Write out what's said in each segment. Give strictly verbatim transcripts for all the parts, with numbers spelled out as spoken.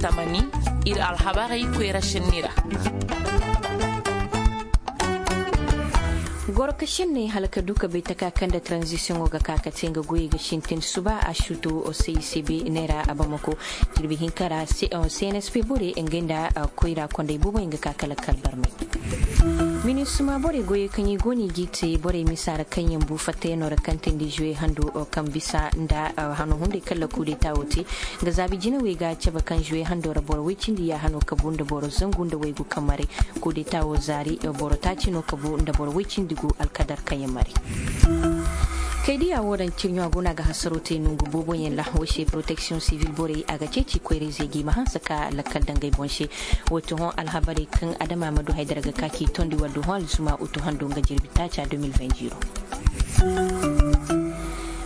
Tamani, ir alhabarey koyra šenni ra. Goro ka šenney hala ka du ka bay taka kaŋ nda taranzisiyoŋo ga ka ka te nga goyey ga sintin suba a suutu. Cicb neera abamako jirbi hinka ra. Cnsp borey ngey nda koyra kondey booboyaŋ ga ka kala kala barmay. Minisuma borey goyey kaŋ i go no i g'i te borey misa ra kaŋ yaŋ bu fattayaŋo ra kaŋ tindi zuwe hando kaŋ bisa nda hano hunday kaŋ ra kudeta wo te. Nga zaabi jinawey ga cabe kaŋ zuwe hando ra boro woy cindi ya hano kabu nda boro zangu nda waygu kaŋ maray. Kudeta wo zaari boro taaci no kabu nda boro woy cindi gu alkadar kaŋ yaŋ maray. Kay diya wo daŋ cirɲo a go no a ga hasaro te nongu booboyaŋ ra wo se poroteksiyoŋ sivil borey a ga ceeci koyra-izey ga i ma hanse ka lakkal daŋ ngey boŋ se. Wo ti hõ alhabarey kaŋ adama ma du haydara ga ka k'i tondi war du hõ alzuma utu hando nga jirbi taaca deux mille vingt zero.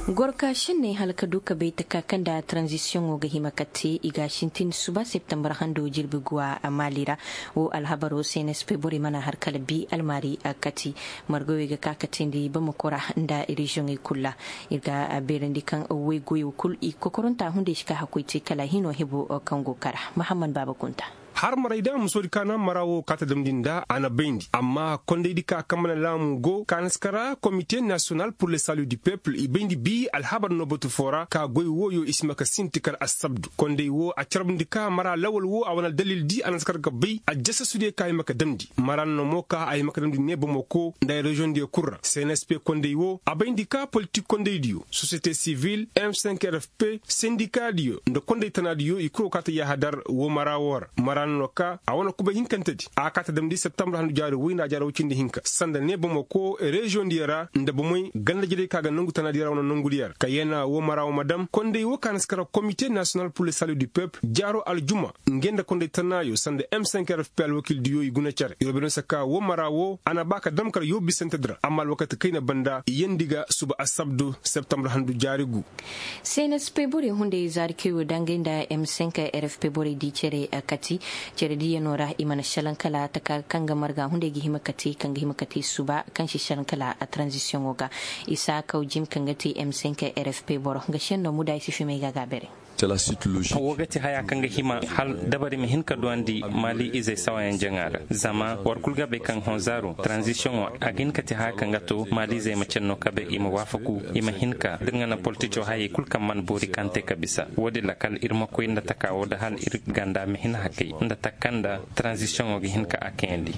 Gorka šenney hala ka du ka bay taka kaŋ nda taranzisiyoŋo ga hima ka te i ga a sintin suba septembar hando jirbi guwa a maali ra. Wo alhabaro cnsp borey mana har kala bi almaari a kati. Margawey ga ka ka teendi bamako ra nda reziyoŋey kulu ra. Ir ga a beerandi kaŋ waygoyo kulu i kokoranta hunday si ka hakkoy te kala hino hebo kaŋ go kara. Mahammad baaba kunta. Har maray da musoodi ka na mara wo ka ta damndi nda a na bayndi amma kondaydi ka kaŋ mana laamu go ka na si kara komite nasiyonal pur le salu du pepul i bayndi bi alhabar no batu foo ra ka goy wooyo i si ma ka sinti kala assabdu kondey wo a carbundi ka mara lawal wo a wane aldalil di a na si kar ga bay aljasasudiyo ka hima ka damndi mara no mo ka a hima ka damndi ne bamako nda ay reziyoŋdiyo kul ra cnsp kondey wo a bayndi ka politik kondaydiyo sosiyete sivil m cinq r f p sendikaadiyo nda kondey tanaadiyo i kul wo ka ta yahadar wo mara wo ra mara no ka a wane kubay hinkantedi a ka ta damndi septembre handu jaari woy nda a jaari woy cindi hinka sanda ne bamako reziyoŋdiyo ra nda bomey ganda-jerey ka ga nangu tanaadiyo ra wane nangudiyo ra ka yana wo mara wo ma dam kondey wo ka na si kara komite nasiyonal pur le salu du pep jaaro aljuma ngey nda kondey tanaayo sanda m cinq r f p alwakildiyo i guna cere i robe no si ka wo mara wo a na ba ka dam kar yoobu bisantedi ra amma alwakati kayna banda i yeendi ga suba assabdu septembre handu jaari gu. Cnsp borey hunday zaari kay wo da ngey nda m cinq r f p borey di cere kati cere diyanoo ra i mana šelaŋ kala taka kaŋ ga marga hunday ga hima ka te kaŋ ga hima ka te suba kaŋ si šelaŋ kala taranzisiyoŋo ga isa kaw jim kaŋ ga te m cinq r f p boro nga šenno muda i si fimay ga a ga a bere. Wo ga ti haya kaŋ ga hima hal dabari ma hin ka duwandi maali izey sawayaŋ jaŋa ra zama war kul ga bay kaŋ honzaaro taranzisiyoŋo a ga hin ka ti haya kaŋ ga to maali izey ma canno kabe i ma waafaku i ma hin ka da ir ga naŋ politico hayey kul kaŋ mana boori kaŋ te ka bisa wo- din ra kala ir ma koy nda taka wo da hal ir ganda ma hin hakay nda taka kaŋ nda taranzisiyoŋo ga hin ka a kayandi.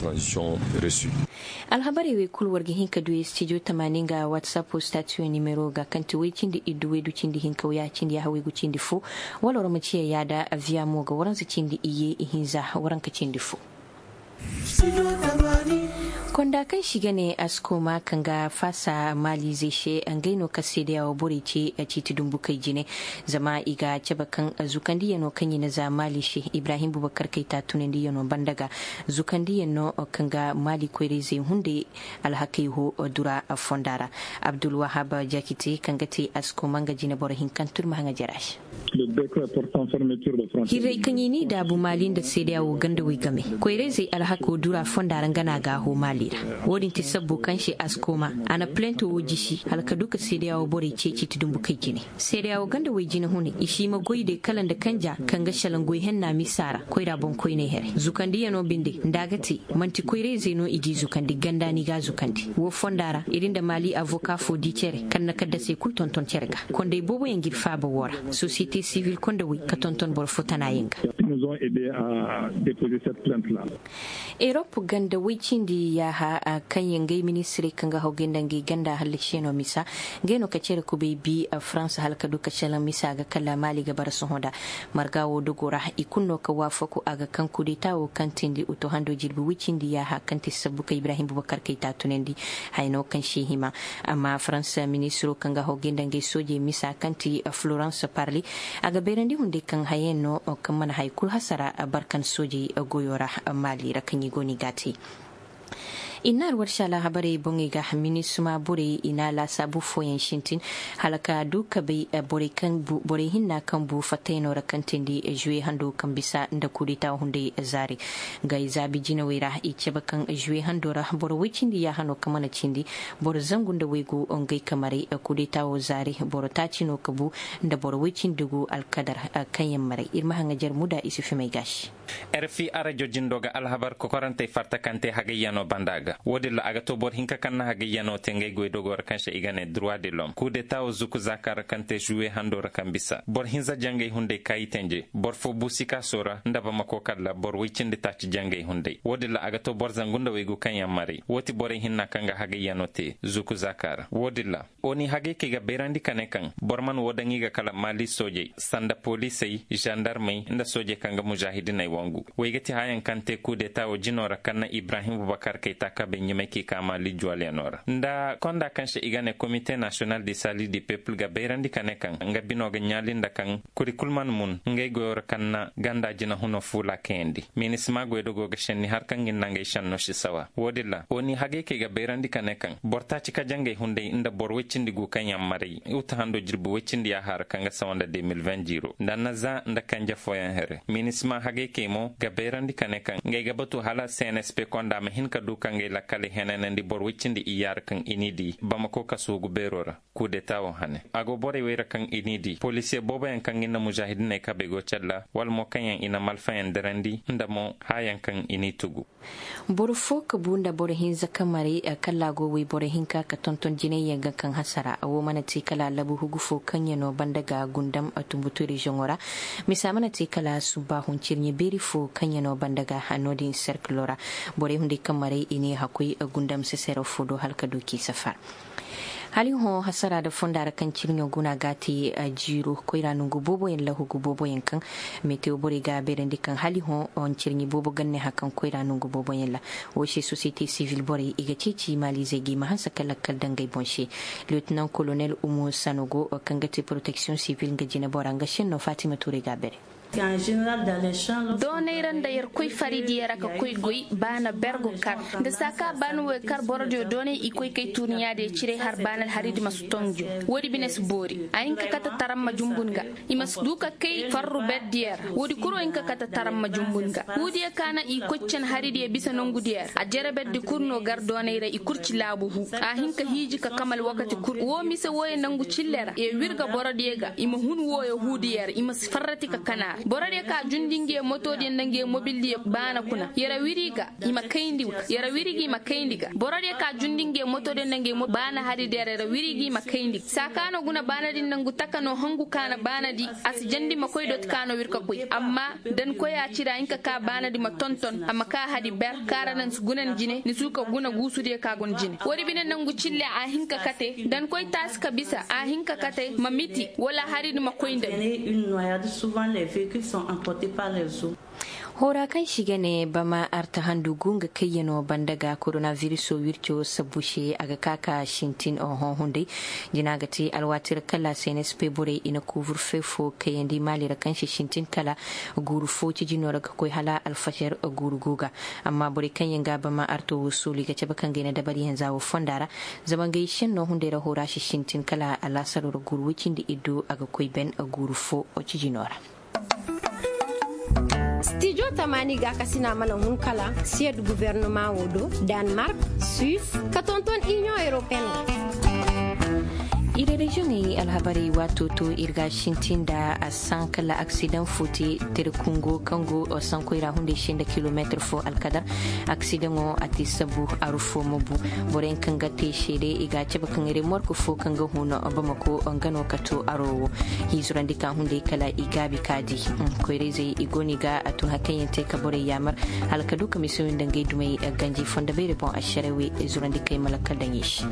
Alhabarey wey kul war ga hin ka du studio tamaani nga whatsapp statiyo nimero ga kaŋ ti way cindi iddu waydu cindi hinka waya cindi yaaha waygu cindi fo wala war ma ciya yaada aviya mo ga waransa cindi iyye ihinza waranka cindi fo. Konda kaŋ si ga ne askoma kaŋ ga faasa maalizey se ngey no ka seedeyawo borey ce ciiti dumbukey jine zama i ga cabe kaŋ zukandiyano kaŋ i na za maali se ibrahim bubakar kayta tunandiyano banda ga zukandiyaŋ no kaŋ ga maali koyra-izey hunday alhakey ho dura fonda ra. Abdulwahab jakite kaŋ ga te askoma nga jineboro hinka turma haŋa jara se. Hirrey kaŋ i n'i daabu maali nda seedeya wo ganda way game koyra-izey alhako dura fonda ra nga no a ga a ho maali ra. Wo-din ti sabbu kaŋ se askoma a na plento wo jisi hala ka du ka seedeya wo borey ceeci ti dumbukey jine. Seedeya wo ganda way jine hunay i si ma goy day kala nda kanja kaŋ ga šelaŋ goy henna misa ra koyra boŋkoyney here zukandiyano binde nda a ga te man'ti koyra-izey no i g'i zukandi ganda no i g'a zukandi wo fonda ra ir nda maali avoka fo di cere kaŋ na kaddasey kul tonton cere ga. Kondey booboyaŋ g'ir faaba woo ra sosiyete sivil kondawey ka tonton boro fo tanaayaŋ ga. Erop ganda woy cindi yaaha kaŋ yaŋ ngey ministirey kaŋ ga haw gay nda ngey ganda hallasi yaŋo misa ngey no ka cere kubay bi farans hala ka du ka calaŋ misa ga kala maali ga bara sohõ nda marga wo dogo ra i kulu no ka waafaku a ga kaŋ kudeta wo kaŋ tindi uto hando jirbi woy cindi yaaha kaŋ ti sabbu ka ibrahim bubakar kayta tunandi. Haya no kaŋ se hima amma farans ministiro kaŋ ga haw gay nda ngey soojey misa kaŋ ti florans parli a ga bayrandi hunday kaŋ hayayaŋ no kaŋ mana haya kulu hasara barkan soojey goyo ra maali ra kaŋ i go no i g'a te. I na alwarsi alhabarey boŋey ga minisima borey i na laasaabu fooyaŋ sintin hala ka du ka bay borey hinna kaŋ bu fattayanoo ra kaŋ teendi zuwe hando kaŋ bisa nda kudeta hunday zaari. Nga i zaabi jinawey ra i cabe kaŋ zuwe hando ra boro woy cindi yaahanoo kaŋ mana cindi boro zangu nda waygu ngey kamaray. Kudeta woo zaari boro taaci no ka bu nda boro woy cindi gu alkadar kaŋ yaŋ maray ir ma haŋajer muda i si fimay gaasi. Rfi arajo jindo ga alhabar kokorantey farta kaŋ te hagayyanoo banda ga woodin ra a ga to boro hinka kaŋ na hagayyanoo te ngey goydogoo ra kaŋ se i ga ne droit de l'homme kudeta wo zuku zaaka ra kaŋ te zuwe hando ra kaŋ bisa boro hinza jangey hunday kaayitanje boro fo bu sikaasoo ra nda bamako kalla boro woy cindi taaci jangey hunday woodin ra a ga to boro zangu nda waygu kaŋ yaŋ maray woo ti borey hinna kaŋ ga hagayyanoo te zuku zaaka ra woodin ra. Oni hagay kay ga bayrandi ka ne kaŋ boro man woo daŋ i ga kala maali soojey sanda poliisey zandarmey nda soojey kaŋ ga muzaahidiney wangu. Wey ga ti haayaŋ kaŋ te kudeta woo jinoo ra kaŋ na ibrahim bubakar kayta kabey ɲumay k'i ka maali juwalyanoo ra nda konda kaŋ se i ga ne komite nasiyonal di sali di pepul ga bayrandi ka ne kaŋ nga binoo ga ɲaali nda kaŋ kuri kul man mun ngey goyoo ra kaŋ na ganda jinahunoo fuula kayandi. Minisima goydogoo ga šenni har kaŋ ga ni nangey šennoo si sawa woodin ra oni hagay kay ga bayrandi ka ne kaŋ boro taaci ka jangey hunday nda boro woy cindi gu kaŋ yaŋ maray uta hando jirbi woy cindi yaaha ra kaŋ ga sawa nda de mil vin jiiro nda na za nda kanje fooyaŋ here minisima hagay kay mo ga bayrandi ka ne kaŋ ngey ga batu hala cnsp konda ma hin ka du ka ngey lakkaley henanandi boro woy cindi iyya ra kaŋ i n'i di bamako kasugu beeroo ra. Kudeta wo hane a go borey wey ra kaŋ i n'i di polisiye booboyaŋ kaŋ ga ni na muzaahidiney kabey go calla wala mo kaŋ yaŋ i na malfayaŋ dirandi nda mo haayaŋ kaŋ i n'i tugu. Boro fo ka bu nda boro hinza ka maray kalla go woy boro hinka ka tonton jinayyaŋ ga kaŋ hasara woo mana te kala labu hugu fo kaŋ ya no banda ga gundam tumbutu reziyoŋo ra. Misa mana te kala subbaahu ncirɲe beeri fo kaŋ ya no banda ga no-din serkiloo ra. Borey hunday kaŋ maray i ne hakkoy gundam sesero fo do hala ka du k'i safar. Hala i hõ hasara nda fonda ra kaŋ cirɲo guna ga a te jiiro koyra nongu booboyaŋ lahugu booboyaŋ kaŋ metewo borey ga a beerandi kaŋ hala i hõ cirɲi boobo ganne haŋ kaŋ koyra nongu booboyaŋ ra. Woo se sosiyete sivil borey i ga ceeci maaliizey ga i ma hanse ka lakkal daŋ ngey boŋ se. Liyotinan kolonel umu sanogo kaŋ ga te poroteksiyoŋ sivil nga jinebora nga senno fatima tuurey ga a beere. Doonay ra nda yer koy faridiya ra ka koy goy baana ber go kar. Nda saa ka baana wo kar borodiyo doonay i koy kay tuuriɲaadiyo ciray har baana alharidi ma si tonjo. Woodi bine si boori a hin ka kate taramma jumbun ga. I ma si du ka kay farru berdiya ra woodi kuro hin ka kate taramma jumbun ga. Huudiyo ka na i koy can haridiyo bisa nongudiyo ra a jere berdi kul no gar doonay ra i kul ci laabu huu a hin ka hiiji ka kamal wakati kul woo mise wooyo nangu cille ra ye wirga borodiyo ga i ma hun wooyo huudiyo ra i ma si farrati ka kana ra borodiyo ka jundi nge motodiyo nda nge mobildiyo baana kuna yara wiri ga i ma kayndi ga yara wiri ga i ma kayndi ga borodiyo ka jundi nge motodiyo nda nge mobildiyo baana haridiyo ra yara wiri ga i ma kayndi ga saa ka no guna baana din nangu taka no hangu ka na baana di a si jandi ma koy doti ka no wir ka koy amma dankoy a cira hinka ka baanadi ma tonton a ma ka hadi ber kaara naŋ si guna ni jine ni suuka guna guusudiyo ka guna jine woodi bine nangu cille a hinka kate dankoy taasi ka bisa a hinka kate ma miti wala haridi ma koy nda ni. Hoora kaŋ se i ga ne bama arta handu gu nga kayyanoo banda ga koronavirisoo wirco sabbu se a ga ka ka sintin oho hunday. Jina ga te alwaati ra kala cnsp borey i na kuuburfe fo kayandi maali ra kaŋ se sintin kala guuru fo cijinoo ra ga koy hala alfajar guuru gu ga. Amma borey kaŋ yaŋ ga bama arto wo sooli ga cabe kaŋ ga i na dabariyaŋ za wo fonda ra. Zama ngey senno hunday ra hoora se sintin kala alaasaro ra guuru woy cindi iddu a ga koy ben guuru fo cijinoo ra. Stijo tamaani gaakasina mana hun kala siyed gubernama wo do danmark, suis ka tonton inion europeen. Iri reziyoŋey alhabarey waato to ir ga sintin nda a san kala aksidaŋ fo te. Tere kungo kaŋ go sankoy ra hunday se nda kilomeetir fo alkadar aksidaŋo a te sabu aru fo ma bu. Boroyaŋ kaŋ ga te seede i ga a cabe kaŋ remork fo kaŋ ga hun bamako nga no ka to aro wo. Hiizurandi ka hunday kala i gaabi ka di koyrayzey i go no i ga a tun hari kaŋ yaŋ te ka borey yaamar hala ka du ka misiyoŋ nda ngey dumey ganji fondo beeri boŋ ašarewe zurandi kay ma lakkal daŋ i se.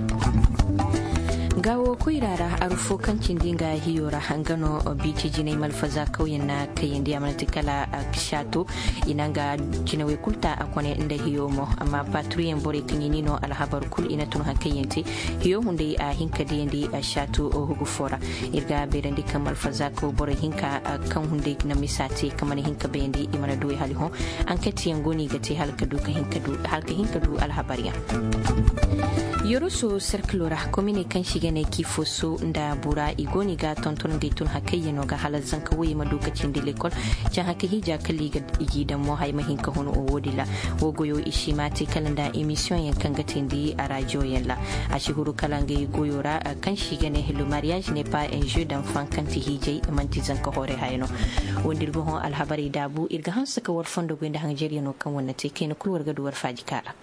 Nga wo koyra ra aru fo Kaŋ cindi nga hiyo ra nga no biiti jinay malfaza kawyaŋ na kayandi a mana ti kala. Saato i na nga jinawey kulu ta a kone nda hiyo mo amma patruyaŋ borey kaŋ i ni no alhabar kulu i na tun haŋ kaŋ yaŋ te. Hiyo hunday a hin ka diyandi saato hugu fo ra. Ir ga beerandi kaŋ malfaza kaw borey hinka kaŋ hunday na misa te kaŋ mana hin ka bayandi i mana duwey hala i hõ. Anketiyaŋ go no i ga te hala ka hin ka du alhabaryaŋ. Yoroso serkilo ra komine kaŋ se i ga ne kiifoso nda bura i go no i ga tonton ngey tun hakayyaŋo ga hala zanka woyey ma du ka cindi lekol. Caŋ haka hiija kala i g'i daŋ mo haya ma hin ka hun wo- din ra. Wo goyo i si ma te kala nda emisiyoŋyaŋ kaŋ ga teendi a rajiyoyaŋ ra. A si huru kala ngey goyo ra kaŋ se i ga ne le mariyaaz ne pas un jeu d'enfant kaŋ ti hiijay man'ti zanka hoore haya no. Wo nda ir ga hõ alhabarey daabu ir ga hanse ka war fondo goy nda hanjaryaŋo kaŋ war na te kayna kulu war ga du war faaji kaara.